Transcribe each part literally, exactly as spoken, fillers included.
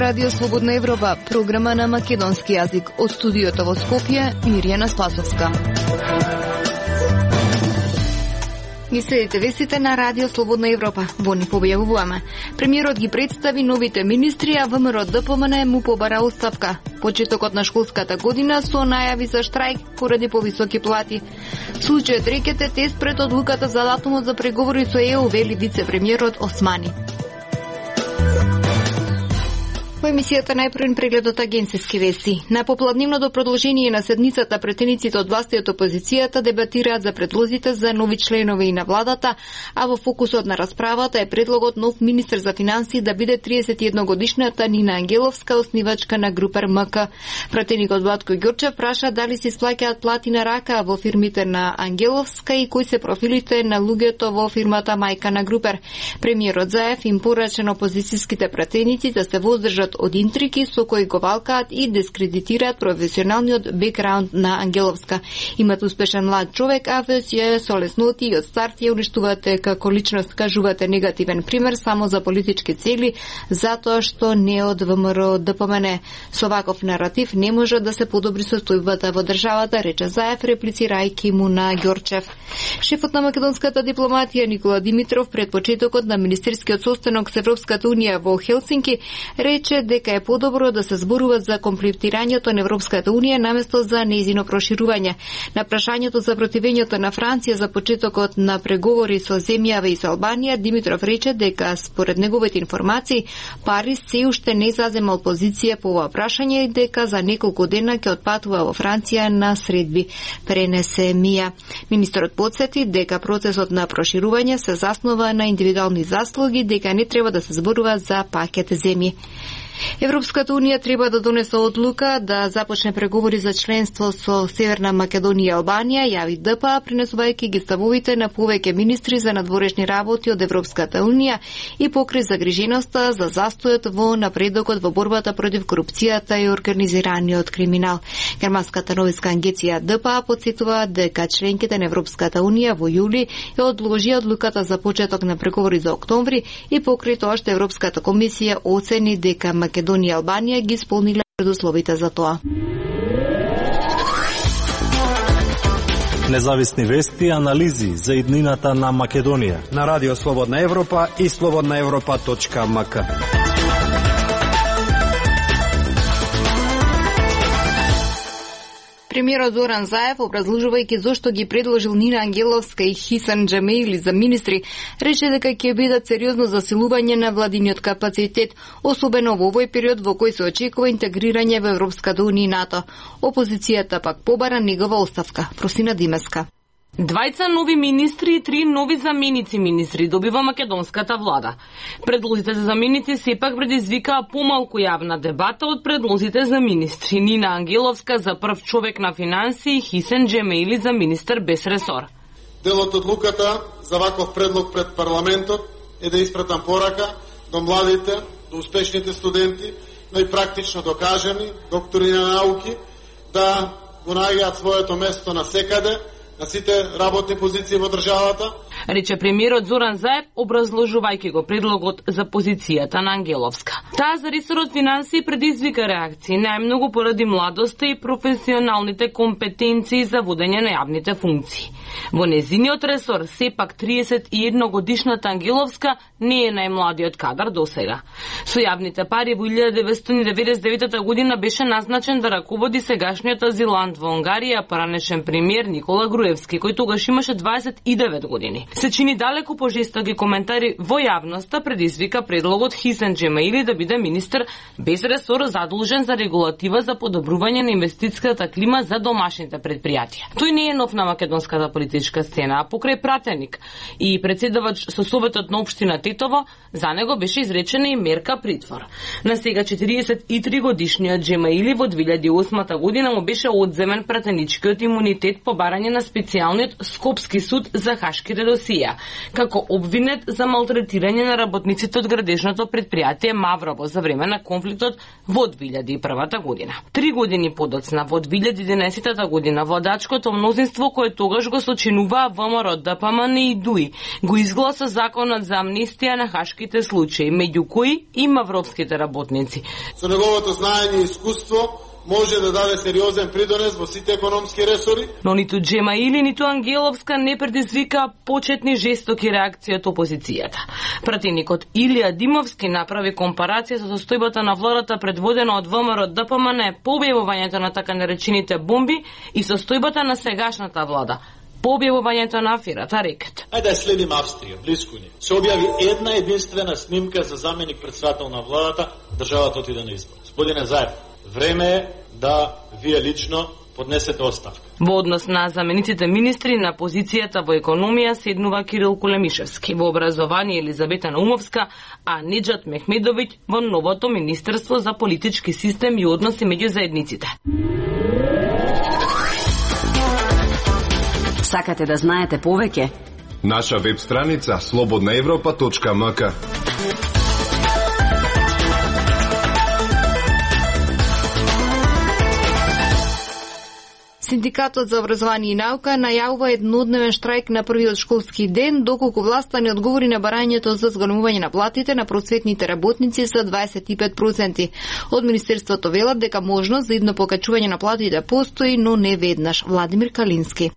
Радио Слободна Европа, програма на македонски јазик. Од студиото во Скопје, Мирјана Спасовска. Ги следите вестите на Радио Слободна Европа. Во ни појавуваме. Премиерот ги представи новите министри, а ВМРО Д П М Н му побара оставка. Почетокот на школската година со најави за штрајк поради повисоки плати. Случајот рекете тест пред одлуката за датумот за преговори со Е У, вели вице-премиерот Османи. Во емисијата најпрвен преглед од агенцијски вести. На попладневното продолжение на седницата претениците од власта и од опозицијата дебатираат за предлозите за нови членови и на владата, а во фокусот на расправата е предлогот нов министер за финансии да биде триесет и едногодишната Нина Ангеловска, основачка на Групер М К. Пратеникот Владко Ѓорчев праша дали се исплаќаат плати на рака во фирмите на Ангеловска и кои се профилите на луѓето во фирмата мајка на Групер. Премиерот Заев им порача на опозицијските пратеници да се воздржат од интриги со кои го валкаат и дискредитираат професионалниот бекграунд на Ангеловска. Имат успешен млад човек, а ве си со лесноти и од старт ја уништувате како личност, кажувате негативен пример само за политички цели, затоа што не од ВМРО Д П М Н. Со ваков наратив не може да се подобри состојбата во државата, рече Заев, реплицирајќи му на Ѓорчев. Шефот на македонската дипломатија Никола Димитров пред почетокот на министерскиот состанок со Европската унија во Хелсинки рече дека е подобро да се зборува за комплетирањето на Европската унија наместо за нејзино проширување. На прашањето за противењето на Франција за почетокот на преговори со земјава и со Албанија, Димитров рече дека според неговите информации Париз се уште не заземал позиција по ова прашање и дека за неколку дена ќе отпатува во Франција на средби, пренесе Мија. Министерот потсети дека процесот на проширување се заснова на индивидуални заслуги, дека не треба да се зборува за пакет земји. Европската унија треба да донесе одлука да започне преговори за членство со Северна Македонија и Албанија, јави Д П А, пренесувајќи ги ставовите на повеќе министри за надворешни работи од Европската унија и покри загриженоста за застојот во напредокот во борбата против корупцијата и организираниот криминал. Германската новинска агенција Д П А потсетува дека членките на Европската унија во јули ја одложија одлуката за почеток на преговори за октомври и покри тоа што Европската комисија оцени дека Македонија и Албанија ги исполниле предусловите за тоа. Независни вести и анализи за иднината на Македонија на Радио Слободна Европа и слободна европа точка м к. Премиерот Зоран Заев, образложувајќи зошто ги предложил Нина Ангеловска и Хисан Џемеили за министри, рече дека ќе бидат сериозно засилување на владиниот капацитет, особено во овој период во кој се очекува интегрирање во Европската унија и НАТО. Опозицијата пак побара негова оставка. Просина Димеска. Двајца нови министри и три нови заменици министри добива македонската влада. Предлозите за заменици сепак предизвикаа помалку јавна дебата од предлозите за министри. Нина Ангеловска за прв човек на финансии, Хисен Џемеили за министер без ресор. Дел од одлуката за ваков предлог пред парламентот е да испратам порака до младите, до успешните студенти, но и практично докажани доктори на науки да го најдат своето место на секаде, на сите работни позиции во државата. Рече премиерот Зоран Заев, образложувајќи го предлогот за позицијата на Ангеловска. Таа за ресорот финансии предизвика реакции, најмногу поради младоста и професионалните компетенции за водење на јавните функции. Во незиниот ресор, сепак триесет и едногодишната Ангеловска не е најмладиот кадар досега. Со јавните пари во илјада деветстотини деветдесет и девета година беше назначен да раководи сегашниот азилант во Унгарија, поранешен премиер Никола Груевски, кој тогаш имаше дваесет и девет години. Се чини далеку пожестоки коментари во јавноста предизвика предлогот Хисен Џемеили да биде министер без ресор задолжен за регулатива за подобрување на инвестицијската клима за домашните предпријатија. Тој не е нов на македонската политичка сцена, а покрај пратеник и председавач со Советот на општина Тетово, за него беше изречена и мерка притвор. На сега четириесет и три годишниот Џемеили во две илјади и осма година му беше одземен пратеничкиот имунитет по барање на специјалниот Скопски суд за хашките досија, како обвинет за малтретирање на работниците од градежното предпријатие Маврово за време на конфликтот во две илјади и прва година. Три години подоцна, во две илјади и единаесета година, владачкото мнозинство кое тогаш го сочинуваа ВМРО, ДПМН и ДУИ, го изгласа законот за амнестија на хашките случаи, меѓу кои и мавровските работници. Со неговото знаење и искуство може да даде сериозен придонес во сите економски ресори. Но ниту Джемаили, ниту Ангеловска не предизвика почетни жестоки реакции од опозицијата. Пратеникот Илија Димовски направи компарација со состојбата на владата предводена од ВМРО ДПМН по објавувањето на така наречените бомби и состојбата на сегашната влада по објавувањето на аферата Рекет. Ајде да следим Австрија, близко ни. Се објави една единствена снимка за заменик председател на владата, државата отиде на избор. Господине Заев, време е да вие лично поднесете оставка. Во однос на замениците министри на позицијата во економија седнува Кирил Кулемишевски, во образование Елизабета Наумовска, а Неџат Мехмедовиќ во новото Министерство за политички систем и односи меѓу заедниците. Сакате да знаете повеќе? Наша веб страница слободна европа точка ем ка. Синдикатот за образование и наука најавува еднодневен штрајк на првиот школски ден, доколку власта не одговори на барањето за зголемување на платите на просветните работници за дваесет и пет проценти. Од Министерството велат дека можност за идно покачување на платите постои, но не веднаш. Владимир Калински.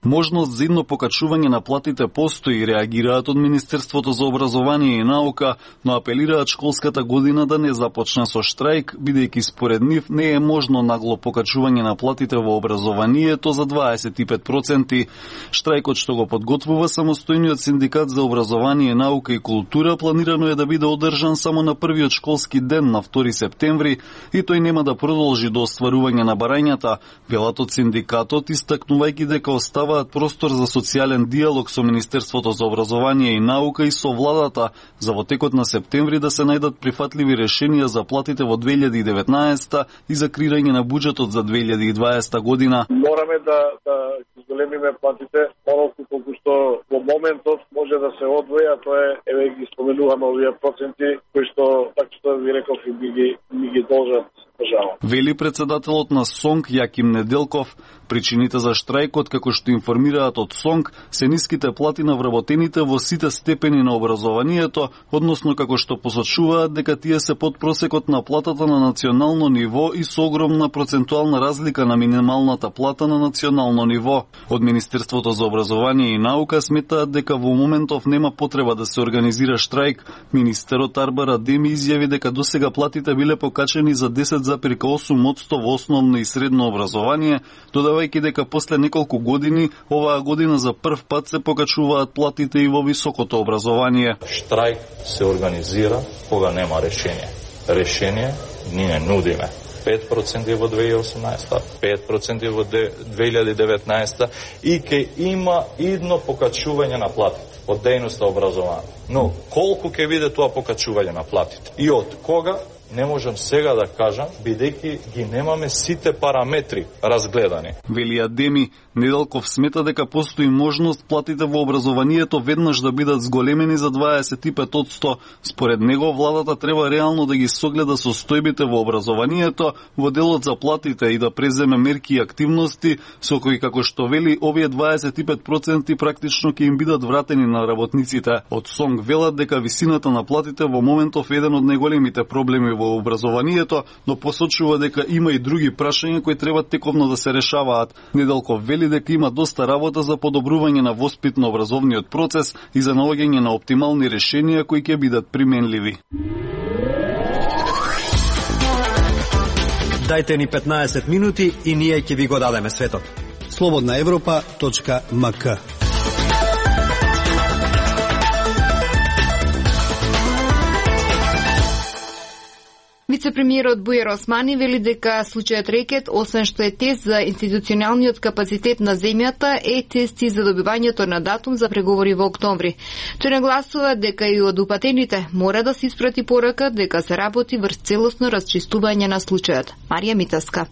Можност за идно покачување на платите постои, реагираат од Министерството за образование и наука, но апелираат школската година да не започне со штрајк, бидејќи според нив не е можно нагло покачување на платите во образованието за дваесет и пет проценти. Штрајкот што го подготвува самостојниот синдикат за образование, наука и култура планирано е да биде одржан само на првиот школски ден на втори септември и тој нема да продолжи до остварување на барањата, велат од синдикатот, истакнувајќи дека остава простор за социјален диалог со Министерството за образование и наука и со владата за во текот на септември да се најдат прифатливи решенија за платите во две илјади и деветнаесета и за креирање на буџетот за две илјади и дваесета година. Мораме да да зголемиме платите, онолку колку што во моментот може да се одвои, а тоа е, еве ги споменуваме овие проценти кои што, така што ви реков, и ми ги, ми ги должат држава. Вели председателот на СОНК Јаким Неделков. Причините за штрајкот, како што информираат од СОНК, се ниските плати на вработените во сите степени на образованието, односно како што посочуваат дека тие се под просекот на платата на национално ниво и со огромна процентуална разлика на минималната плата на национално ниво. Од Министерството за образование и наука сметаат дека во моментов нема потреба да се организира штрајк. Министерот Арбар Адеми изјави дека досега платите биле покачени за десет зарез осум одсто во основно и средно образование, додавајќи дека после неколку години, оваа година за прв пат се покачуваат платите и во високото образование. Штрајк се организира кога нема решение. Решение ние нудиме. пет проценти во две илјади и осумнаесета, пет проценти во две илјади и деветнаесета и ќе има идно покачување на платите од дејноста образование. Но колку ќе биде тоа покачување на платите и од кога, не можам сега да кажам, бидејќи ги немаме сите параметри разгледани. Вели Адеми, Неделков смета дека постои можност платите во образованието веднаш да бидат зголемени за дваесет и пет одсто. Според него, владата треба реално да ги согледа состојбите во образованието во делот за платите и да преземе мерки и активности со кои, како што вели, овие дваесет и пет проценти практично ќе им бидат вратени на работниците. Од СОНК велат дека висината на платите во моментов е еден од најголемите проблеми во образованието, но посочува дека има и други прашања кои треба тековно да се решаваат. Неделков вели дека има доста работа за подобрување на воспитно-образовниот процес и за наоѓање на оптимални решенија кои ќе бидат применливи. Дајте ни петнаесет минути и ние ќе ви го дадеме светот. слободна европа точка ем ка. Вице-премиерот Бујар Османи вели дека случајот Рекет, освен што е тест за институционалниот капацитет на земјата, е тест и за добивањето на датум за преговори во октомври. Тој нагласува дека и од упатените мора да се испрати порака дека се работи врз целосно расчистување на случајот. Марија Митаска.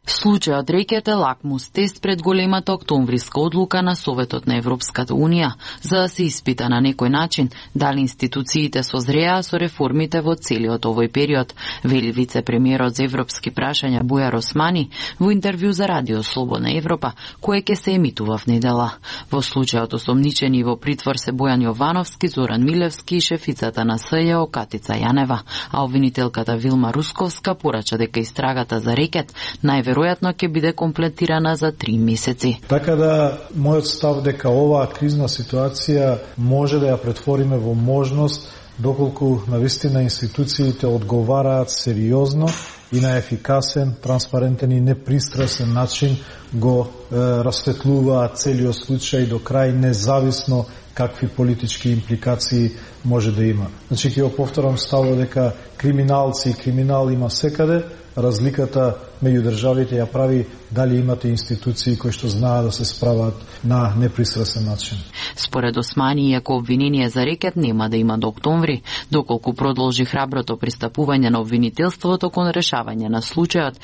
Случајот рекет е лакмус тест пред големата октомвриска одлука на Советот на Европската Унија за да се испита на некој начин дали институциите созреа со реформите во целиот овој период, вели вице-премиерот за европски прашања Бујар Османи во интервју за Радио Слободна Европа, кое ќе се емитува в недела. Во случајот осомничени во притвор се Бојан Јовановски, Зоран Милевски и шефицата на СЈО Катица Јанева, а обвинителката Вилма Русковска порача дека истрагата за рекет најверојатно веројатно ќе биде комплетирана за три месеци. Така да, мојот став дека оваа кризна ситуација може да ја претвориме во можност доколку навистина институциите одговараат сериозно и на ефикасен, транспарентен и непристрасен начин го е, расветлуваат целиот случај до крај, независно какви политички импликации може да има. Значи, ќе го повторам ставот дека криминалци и криминал има секаде, разликата меѓу државите ја прави дали имате институции кои што знаат да се справат на непристрасен начин. Според Османи, иако обвинение за рекет нема да има до октомври, доколку продолжи храброто пристапување на обвинителството кон решавање на случајот,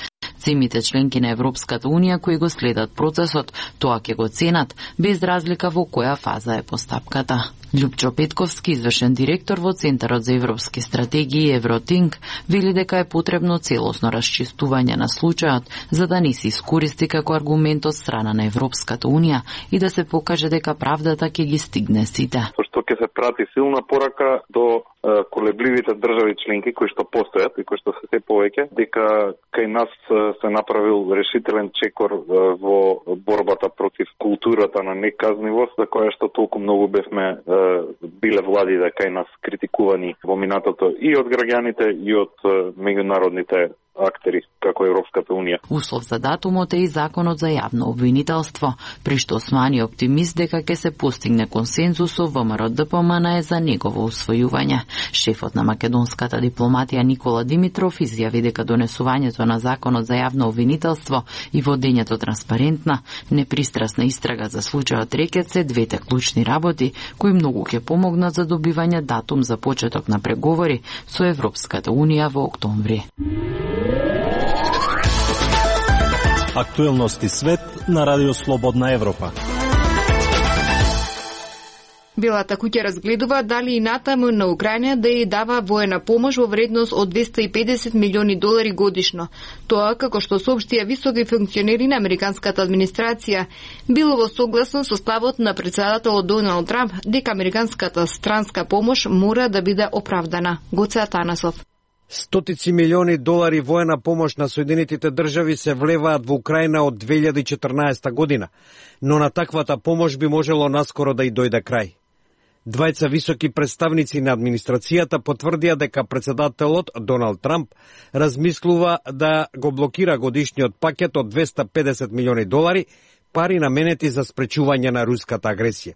земите членки на Европската Унија кои го следат процесот, тоа ќе го ценат, без разлика во која фаза е постапката. Љупчо Петковски, извршен директор во Центарот за европски стратегии Евротинк, вели дека е потребно целосно расчистување на случајот, за да не се искористи како аргумент од страна на Европската Унија и да се покаже дека правдата ќе ги стигне сите. Што ќе се прати силна порака до колебливите држави членки кои што постојат и кои што се се повеќе, дека кај нас се направил решителен чекор во борбата против културата на неказнивост, за која што толку многу бевме биле владите кај нас критикувани во минатото и од граѓаните и од меѓународните актери како Европската Унија. Услов за датумот е и законот за јавно обвинителство, при што Османи е оптимист дека ќе се постигне консензус со ВМРО-ДПМН за негово усвојување. Шефот на македонската дипломатија Никола Димитров изјави дека донесувањето на законот за јавно обвинителство и водењето транспарентна, непристрасна истрага за случајот рекет се двете клучни работи кои многу ќе помогнат за добивање датум за почеток на преговори со Европската Унија во октомври. Актуелности свет на Радио Слободна Европа. Белата куќа разгледува дали и натаму на Украина да ја дава воена помош во вредност од двесте и педесет милиони долари годишно. Тоа, како што соопштија високи функционери на американската администрација, било во согласно со ставот на претседателот Доналд Трамп дека американската странска помош мора да биде оправдана. Гоце Атанасов. Стотици милиони долари воена помош на Соединетите држави се влеваат во Украина од две илјади и четрнаесета година, но на таквата помош би можело наскоро да и дојде крај. Двајца високи представници на администрацијата потврдија дека председателот Доналд Трамп размислува да го блокира годишниот пакет од двесте и педесет милиони долари, пари наменети за спречување на руската агресија.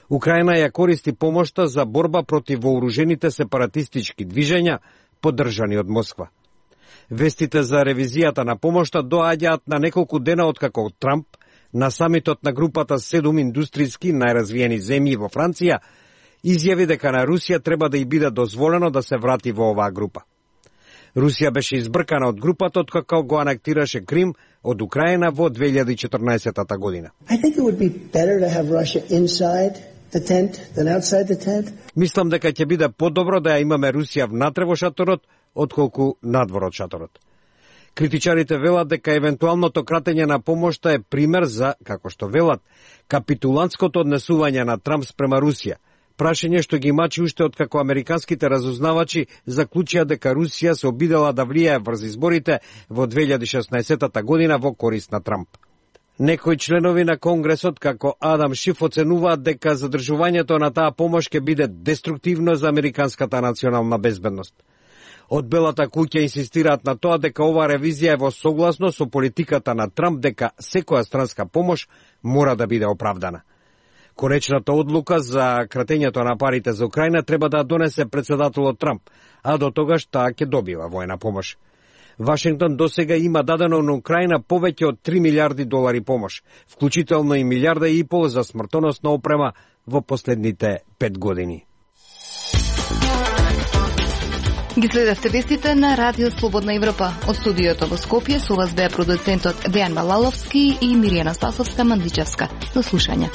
Украина ја користи помошта за борба против вооружените сепаратистички движења, поддржани од Москва. Вестите за ревизијата на помошта доаѓаат на неколку дена откако Трамп на самитот на групата седум индустријски најразвиени земји во Франција изјави дека на Русија треба да и биде дозволено да се врати во оваа група. Русија беше избркана од групата откако го анектираше Крим од Украина во две илјади и четрнаесета година. I think it would be better to have Russia inside the tent than outside the tent. Мислам дека ќе биде подобро да ја имаме Русија внатре во шаторот отколку надвор од шаторот. Критичарите велат дека евентуалното кратење на помошта е пример за, како што велат, капитулантското однесување на Трамп спрема Русија. Прашање што ги мачи уште откако американските разузнавачи заклучија дека Русија се обидела да влијае врз изборите во две илјади и шеснаесета година во корист на Трамп. Некои членови на Конгресот, како Адам Шиф, оценуваат дека задржувањето на таа помош ќе биде деструктивно за американската национална безбедност. Од Белата куќа инсистираат на тоа дека оваа ревизија е во согласно со политиката на Трамп дека секоја странска помош мора да биде оправдана. Конечната одлука за кратењето на парите за Украина треба да донесе председателот Трамп, а до тогаш таа ќе добива воена помош. Вашингтон досега има дадено на Украина повеќе од три милиарди долари помош, вклучително и милиарда и пол за смртоносна опрема во последните пет години. Ги следевте вестите на Радио Слободна Европа. Од студиото во Скопје со вас беа продуцентот Дејан Балаловски и Миријана Спасовска-Мандичевска. До слушање.